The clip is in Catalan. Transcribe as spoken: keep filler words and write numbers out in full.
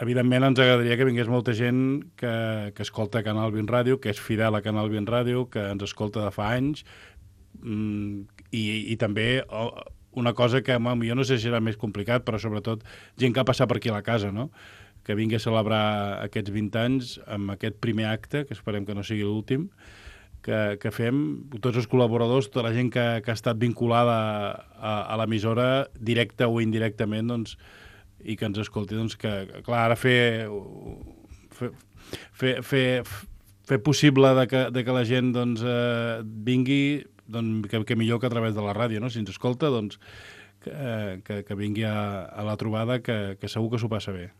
evidentment ens agradaria que vingués molta gent que, que escolta Canal vint Ràdio, que és fidel a Canal vint Ràdio, que ens escolta de fa anys, mm, i, i també oh, una cosa que home, jo no sé si serà més complicat, però sobretot gent que ha passat per aquí a la casa, no? Que vingui a celebrar aquests vint anys amb aquest primer acte, que esperem que no sigui l'últim, que, que fem, tots els col·laboradors, tota la gent que, que ha estat vinculada a, a l'emissora, directa o indirectament, doncs, i que ens escolti, doncs, que, clar, ara fer, fer, fer, fer, fer possible de que, de que la gent doncs, eh, vingui, doncs, que, que millor que a través de la ràdio, no? Si ens escolta, doncs, que, que, que vingui a, a la trobada, que, que segur que s'ho passa bé.